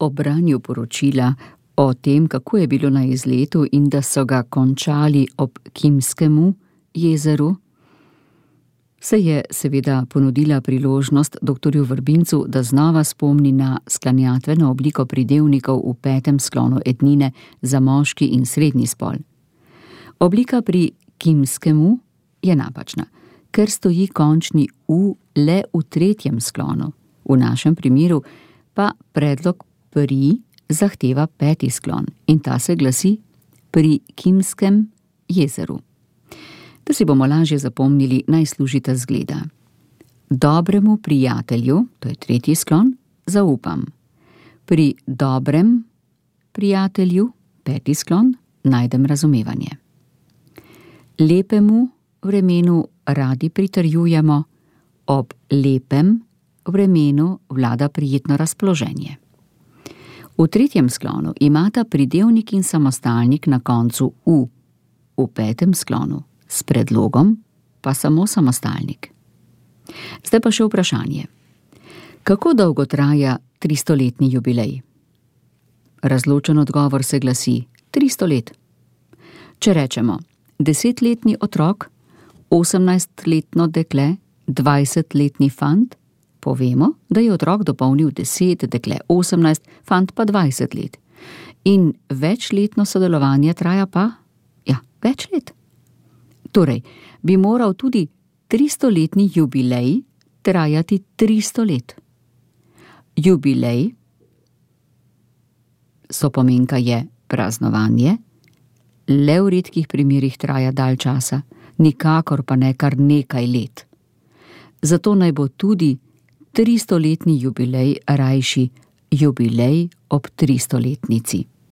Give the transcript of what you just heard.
o branju poročila o tem, kako je bilo na izletu in da so ga končali ob Kimskemu jezeru, se je seveda ponudila priložnost doktorju Vrbincu, da znova spomni na sklanjatveno obliko pridevnikov v 5. sklonu ednine za moški in srednji spol. Oblika pri Kimskemu je napačna, ker stoji končni U le v 3. sklonu. V našem primeru pa predlog pri zahteva 5. sklon in ta se glasi pri Kimskem jezeru. Da si bomo lažje zapomnili, naj služita zgleda. Dobremu prijatelju, to je 3. sklon, zaupam. Pri dobrem prijatelju, 5. sklon, najdem razumevanje. Lepemu vremenu radi pritrjujemo, ob lepem vremenu vlada prijetno razpoloženje. V 3. sklonu imata pridevnik in samostalnik na koncu U, v 5. sklonu s predlogom pa samo samostalnik. Zdaj pa še vprašanje. Kako dolgo traja 300-letni jubilej? Razločen odgovor se glasi 300 let. Če rečemo 10-letni otrok, 18-letno dekle, 20-letni fant, povemo, da je otrok dopolnil 10, dekle 18, fant pa 20 let. In večletno sodelovanje traja pa, več let. Torej, bi moral tudi 300-letni jubilej trajati 300 let. Jubilej, sopomenka je praznovanje, le v redkih primerih traja dalj časa, nikakor pa ne kar nekaj let. Zato naj bo tudi 300-letni jubilej rajši jubilej ob 300-letnici.